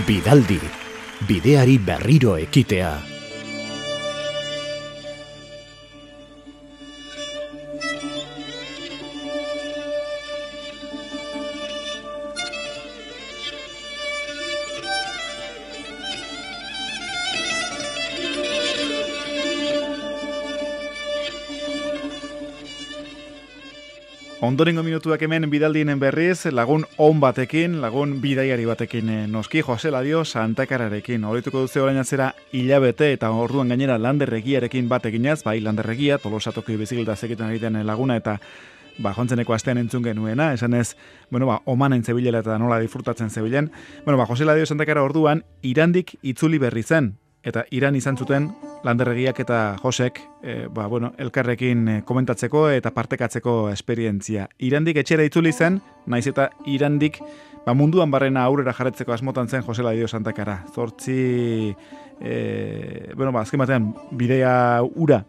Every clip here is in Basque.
Bidaldi, bideari berriro ekitea. Ondorengo minutuak hemen bidaldien berriz, lagun on batekin, lagun bidaiari batekin noski, Jose Ladio Santakararekin. Horituko duze orain atzera hilabete eta orduan gainera landerregiarekin bat eginaz, bai landerregia, Tolosatoko bizikleta egiten egiten laguna eta jontzeneko astean entzun genuena, esanez, omanen zebilela eta nola disfrutatzen zebilen. Jose Ladio Santakara orduan, Irandik itzuli berri zen. Eta Iran izan zuten landerregiak eta Josek elkarrekin komentatzeko eta partekatzeko esperientzia. Irandik etxera itzuli zen, naiz eta Irandik munduan barrena aurrera jarretzeko asmotan zen Jose Ladio Santakara. Zortzi, azken batean, bidea ura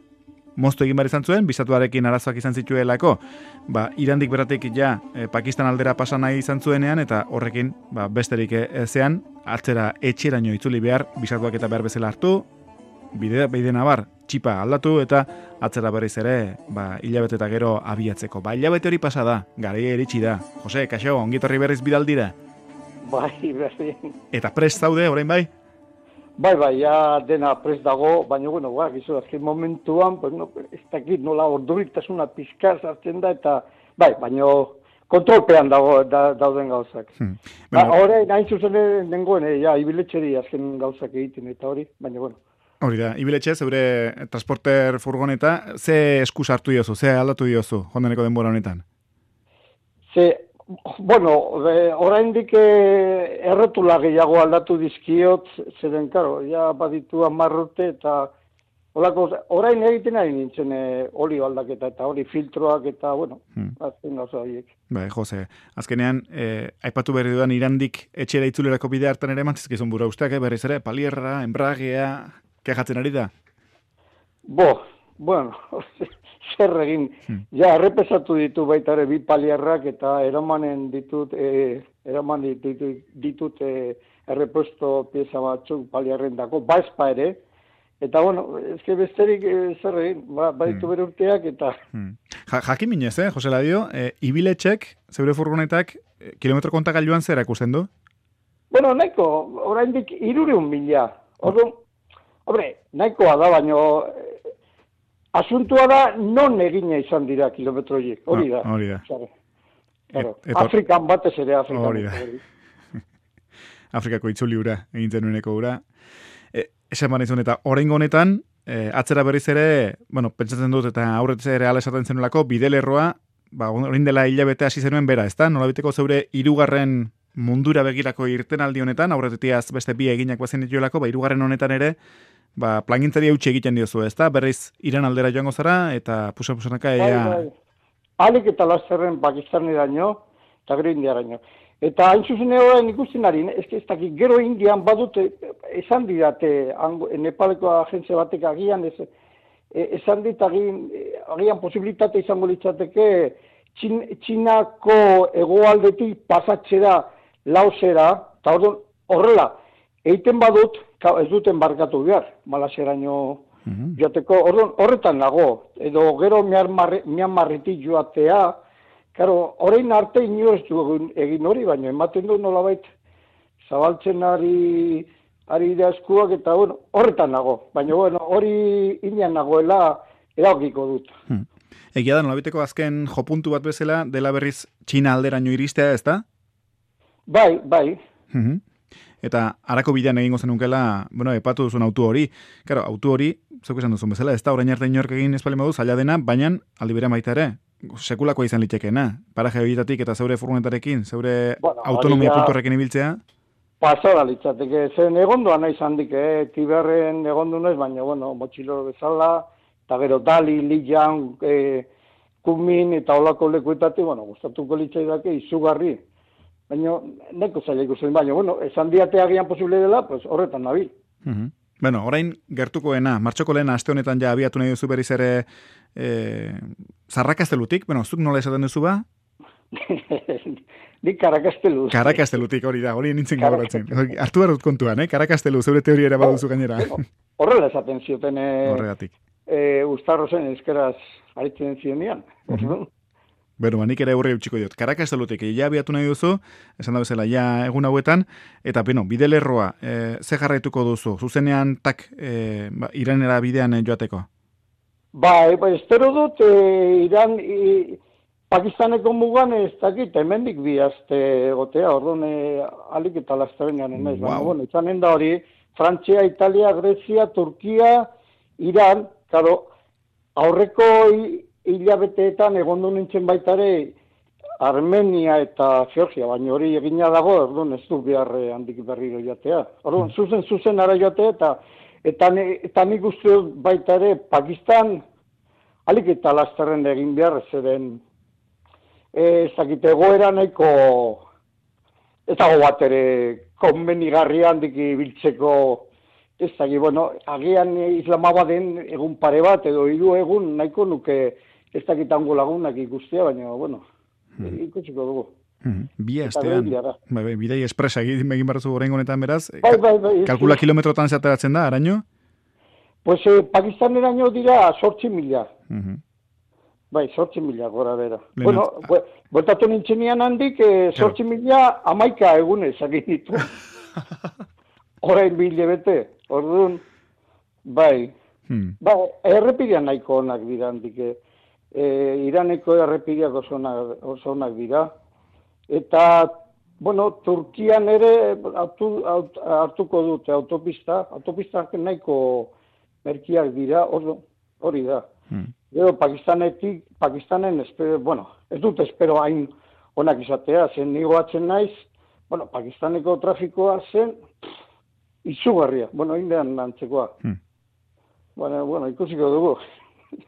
moztu egin behar izan zuen, bizatuarekin arazoak izan zituelako, Irandik beratik Pakistan aldera pasa nahi izan zuenean, eta horrekin besterik ezean, atzera etxeraino itzuli behar, bizatuak eta behar bezala hartu, bide nabar, txipa aldatu, eta atzera berriz ere, hilabete eta gero abiatzeko. Hilabete hori pasa da, garaia iritsi da. Jose, kaixo, ongitorri berriz bidaldira? Bai, berdin. Eta prest zaude, orain bai? Bai, ja dena prest dago, baina, gizu, azken momentuan, ez dakit nola orduritasuna pixka sartzen da, eta, baina kontrolpean dauden gauzak. Horrein, hain zuzen nengoen, ibiletxeri azken gauzak egiten, eta hori, baina, Hori da, ibiletxe, zeure transporter furgoneta, ze esku sartu diozu, ze aldatu diozu, jondeneko denbora honetan? Oraindik errotula gehiago aldatu dizkiot, zeren, baditu 10 urte, eta orain egiten ari nintzen olio aldaketa, eta hori filtroak, eta, azken gauza horiek. Jose, azkenean, aipatu berri dudan Irandik etxera itzulerako bide hartan ere mantzizkizun bura usteak, berriz ere, palierra, enbragea, kejatzen ari da? Zer egin, errepesatu ditu baita ere 2 palierrak eta eraman ditut errepuesto pieza batzuk palierren dako, ezpa ere, eta ezke besterik zer egin, baditu bere urteak eta... Jakin minez, Jose Ladio, ibiletxek, zeure furgonetak, kilometro kontagailuan zer akusten du? Nahiko, oraindik 300.000. Nahikoa da, baina... Asuntua da, non egina izan dira kilometro horiek, hori da. Afrikan batez ere, Afrikan. Afrikako itzuli ura, egintzen nueneko ura. Esan baina izan, eta oraingo honetan, atzera berriz ere, pentsatzen dut, eta aurretz ere ala esaten zenulako, bidelerroa, orain dela hilabete hasi zenuen bera, ezta? Nolabiteko zeure 3. mundura begirako irtenaldi honetan, aurretiaz beste 2 eginak bazen dituelako, 3. honetan ere, plangintzari eutxe egiten diozu, ezta? Berriz Iran aldera joango zara, eta pusanaka ea... Alik eta lasterren Pakistaneraino, eta gero Indiaraino. Eta hain zuzen horrein ikusten ari, ez dakit, gero Indian badute, esan didate, Nepaleko agentzia batek agian, esan dit agian posibilitate izango litzateke, Txinako hegoaldetik pasatzera, Laosera, eta horrela, egiten badut, ez duten barkatu behar, Malaseraino joateko, horretan nago, edo gero Myanmarretik joatea, orain arte ino ez du egin hori, baina ematen du nolabait zabaltzen ari da eskuak, eta horretan nago, baina hori inean nagoela eragiko dut. Egia da, nolabiteko azken jopuntu bat bezala, dela berriz Txina alderaino iristea, ez da? Bai. Eta harako bidean egingo zenukela, epatu duzun autu hori. Claro, autu hori, zeuk esan duzun bezala, ez da, orain arte inork egin espalin baduz, zaila dena, baina aldi berean baita ere, sekulakoa izan litekeena. Paraje horietatik eta zeure furgonetarekin, zeure autonomia puntorrekin ibiltzea. Pasara litzateke, zen egondoan nahi zandik, Tiberren egondu naiz, baina, motxiloro bezala, eta gero Dali, Lijan, Kunmin, eta olako lekuetatik, gustatuko litzaidake izugarri. Baina, neko zaila ikusten, baina, esan diate agian posible dela, horretan nabil. Orain gertukoena, martxoko lehen aste honetan ja abiatu nahi duzu berriz ere zarrakastelutik, zuk nola esaten duzu ba? Nik Karakasteluz. Karakastelutik hori da, hori nintzen gauratzen. Artu behar dut kontuan, Karakastelu, zeure teoria ere baduzu gainera. Horrela esaten zioten Horregatik. Uztarrozen eskeraz aritzen zionean. Bero, nik ere aurre utxiko diot. Karakastelutik, ja abiatu nahi duzu, esan da bezala, ja egun hauetan, eta bidelerroa, ze jarraituko duzu? Zuzenean, Iranera bidean joateko? Bai, espero dut, Pakistaneko mugan ez dakit, hemendik bi aste gotea, orduan alik eta lastarenean emez. Wow. Bueno, izanen da hori, Frantzia, Italia, Grezia, Turkia, Iran, karo, aurreko hilabeteetan egondu nintzen baitare Armenia eta Georgia, baina hori egina dago, orduan ez du behar handik berriro jatea. Orduan, zuzen ara jatea, eta nik uste dut baitare Pakistan, alik eta lasterren egin behar, zeren ez dakit egoera nahiko ez dago bat ere konbenigarria handik biltzeko ez dakit, bueno, agian Islamabaden egun pare bat edo 3 egun nahiko nuke ez dakit hango lagunak ikustea, baina, bueno, ikusiko dugu. Bi astean, bidai espresa egin barruzu orain honetan beraz, Bai, kalkula kilometrotan zateratzen da, araño? Pues Pakistaneraino dira 8.000. Bai, 8.000 gora bera. Bueno, bueltatu nintzenean handik, 8.000 11 egunez egin ditu. Orain bete, orduan, bai. Ba, errepidean nahiko onak dira handik. Iraneko errepideak oso onak dira. Eta, bueno, Turkian ere hartuko dute autopistak nahiko merkiak dira, hori da. Gero Pakistanen, ez dut espero hain onak izatea, zen nigoatzen naiz, bueno, Pakistaneko trafikoa zen izugarria, bueno, indean antzekoa. Bueno, ikusiko dugu.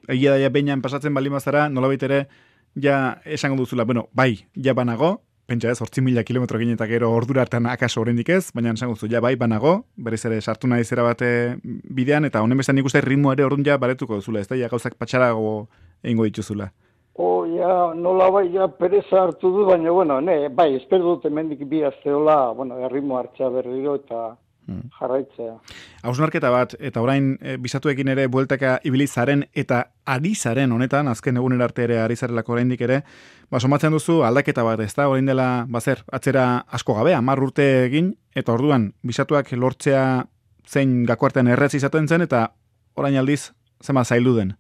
Egia da, ja behinan pasatzen bali mazara, nolabait ere, ja esango duzula, bueno, bai, ja banago, pentsa ez, 8.000 kilometro ginen eta gero ordura hartan akaso oraindik ez, baina esango duzu, ja bai, banago, berriz ere sartu nahi zera bate bidean, eta honen bestan nik uste ritmo ere orduan ja baretuko duzula, ez da, ja gauzak patxarago egingo dituzula. Nola bai, ja pereza hartu du, baina, bueno, bai, espero dut hemendik bi asteola, bueno, erritmo hartzea berriro eta jarraitzea. Hausnarketa bat, eta orain bizatuekin ere bueltaka ibilizaren eta ari zaren honetan, azken egunera arte ere ari zarelako oraindik ere, somatzen duzu aldaketa bat, ez da, orain dela, atzera asko gabe, 10 urte egin, eta orduan, bizatuak lortzea zein gakoartean erretz izaten zen, eta orain aldiz, zema zaildu den?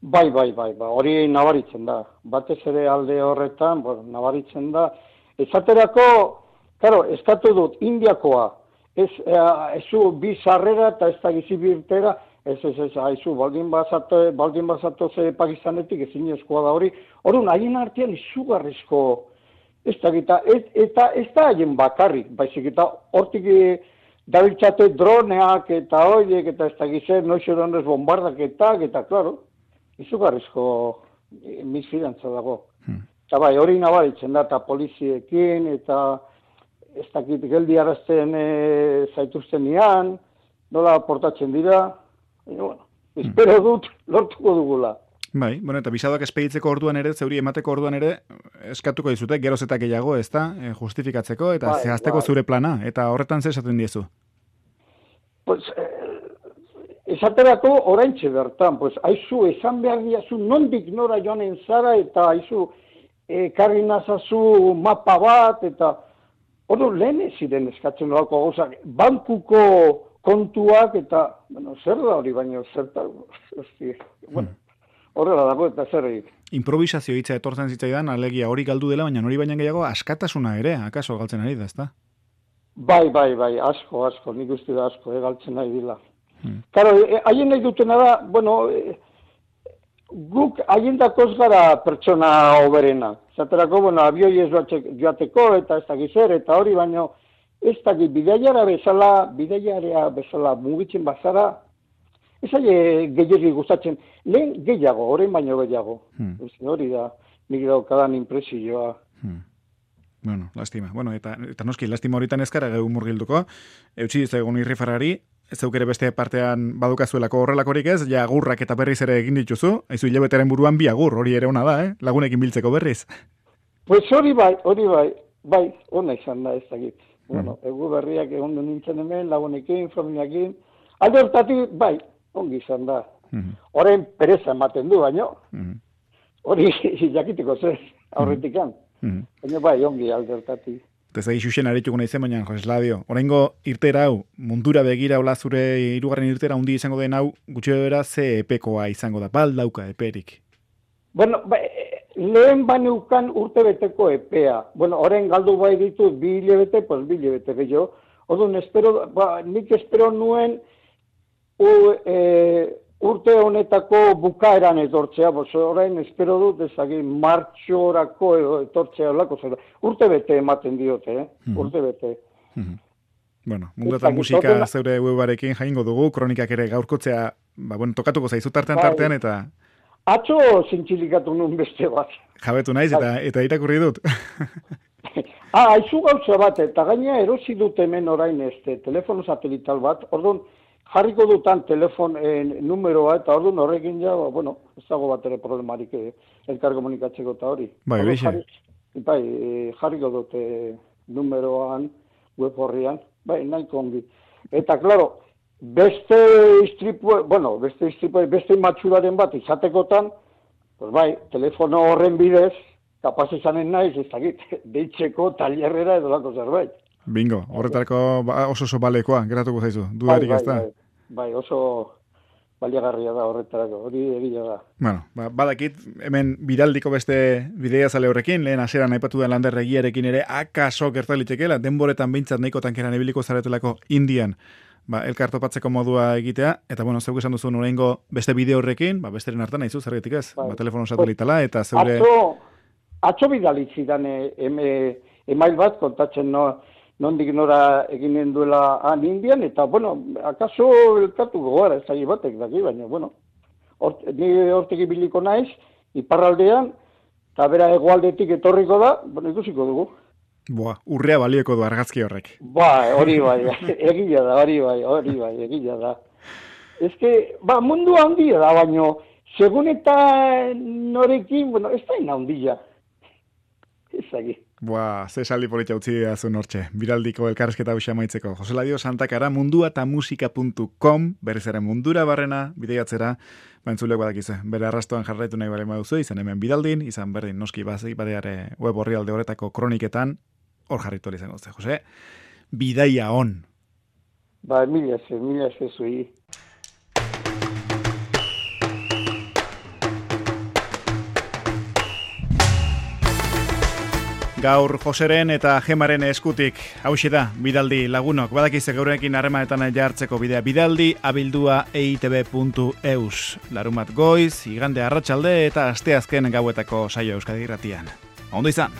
Bai, hori nabaritzen da. Batez ere alde horretan, nabaritzen da. Esaterako, claro, eskatu dut, Indiakoa, ezu bi sarrera eta ez da gizi birtera, haizu, baldin bazatoz Pakistanetik ezin eskoa da hori. Orduan, haien artean izugarrizko, eta ez da haien bakarrik, baizik eta hortik dabiltzate droneak eta horiek, eta ez da gizer, noizeronez bombardaketak, eta, klaro, izugarrizko misfidantza dago. Eta bai, hori nabaritzen da, eta poliziekin, eta ez dakit geldi arazten zaituztenean, nola portatzen dira, bueno, espero dut lortuko dugula. Bai, bueno, eta bisadoak espeditzeko orduan ere, zeuri emateko orduan ere, eskatuko dizute, geroz eta gehiago, ez da, justifikatzeko, eta zehazteko zure plana, eta horretan zer esaten diezu? Pues, esaterako oraintxe bertan, pues, haizu, esan behar diazu, nondik nora joanen zara, eta haizu, karri nazazu mapa bat, eta hori lehen ez ziren eskatzen horako gauzak, bankuko kontuak, eta, bueno, zer da hori, baina zerta, bueno, horrela dago eta zer egin. Improvisazio hitza etortzen zitzaidan, alegia hori galdu dela, baina hori baina gehiago askatasuna ere, akaso galtzen ari da, ezta? Bai, asko, nik uste da asko, galtzen ari dila. Karo, haien nahi dutena da, bueno, guk haien dakoz gara pertsona oberena. Zaterako, bueno, abioi ez joateko, eta ez dakizer, eta hori, baina ez dakit bidaiara bezala mugitzen bazara, ez aile gehiagi gustatzen, lehen gehiago, orain baino gehiago. Hori da, nik daukadan impresioa. Bueno, lastima. Bueno, eta noski, lastima horietan ezkara gehu murgilduko. Eutsi dizagun irrifarrari, ez zeukere beste partean badukazuelako horrelakorik ez, ja agurrak eta berriz ere egin dituzu, haizu hilabeteren buruan bi agur, hori ere ona da, lagunekin biltzeko berriz. Pues hori bai, ona izan da ez dakit. Bueno, egu berriak egon nintzen hemen, lagunekin, familiakin, alde hortatik, bai, ongi izan da. Horren pereza ematen du, baino, hori jakiteko zer, aurretikan. Baina bai, ongi alde hortatik. Ez da isusen arituko nahi zen, baina, Jose Ladio, oraingo irtera hau, mundura begira hola zure hirugarren irtera hundi izango den hau, gutxi bera ze epekoa izango da, bal dauka eperik. Bueno, lehen baneukan urte beteko epea. Bueno, orain galdu bai ditut 2 hilabete, pues 2 hilabete gehiago. Orduan, nik espero nuen urte honetako bukaeran etortzea, orain espero dut ezagin martxorako etortzea olako zer. Urte bete ematen diote, urte bete. Bueno, mundu eta musika zeure webarekin jaingo dugu, kronikak ere gaurkotzea, tokatuko zaizu tartean eta... Atzo zintxilikatu nuen beste bat. Jabetu naiz eta irakurri dut. Aizu gauza bat, eta gaina erosi dut hemen orain telefono satelital bat, orduan jarriko dutan telefon numeroa, eta orduan horrekin ja, ez dago bat ere problemarik elkar komunikatzeko eta hori. Bai, jarriko dut numeroan, web horrian, bai, nahiko ongi. Eta, klaro, beste matxuraren bat izatekotan, pues bai, telefono horren bidez, kapaz izanen naiz, ez dakit, deitzeko tailerrera edo lako zerbait. Bingo, horretarako oso balekoa, geratuko zaizu, dudarik ez da? Bai, oso baliagarria da horretarako, hori egia da. Bueno, badakit, hemen bidaldiko beste bidea zale horrekin, lehen aseran aipatu den Lander Regiarekin ere, akaso gertalitekela, denboretan behintzat nahiko tankeran ebiliko zaretelako Indian, elkar topatzeko modua egitea, eta zeuk esan duzu oraingo beste bideo horrekin, besteren hartan nahizu, zergetik ez? Telefono satelitala, eta zeure... Atzo bidalitzidan email bat, kontatzen nondik nora eginen duela Indian, eta, akaso elkartu gogara ez da batek daki, baina, ni hortek ibiliko naiz, iparraldean, eta bera hegoaldetik etorriko da, ikusiko dugu. Urrea balioko du argazki horrek. Hori bai, egia da, egia da. Ez que, mundu handia da, baino, segun eta norekin, ez da ina handia. Ez agi. Ze saldi politia utzi dazun hortxe. Biraldiko elkarrezketa hausia maitzeko. Jose Ladio Santakara, munduatamusika.com, berriz ere mundura barrena, bideiatzera, entzulek badakize. Bere arrastoan jarraitu nahi bale maduzu, izan hemen bidaldin, izan berdin noski badeare web orrialde horretako kroniketan, hor jarritu izango ze, Jose. Bidaia on. Mila zui. Gaur Joseren eta Gemaren eskutik, hauxe da, bidaldi lagunok, badakize gaurekin harremanetan jartzeko bidea bidaldi, abildua eitb.eus. Larumat goiz, igande arratsalde eta asteazken gauetako saio Euskadi Irratian. Ondo izan!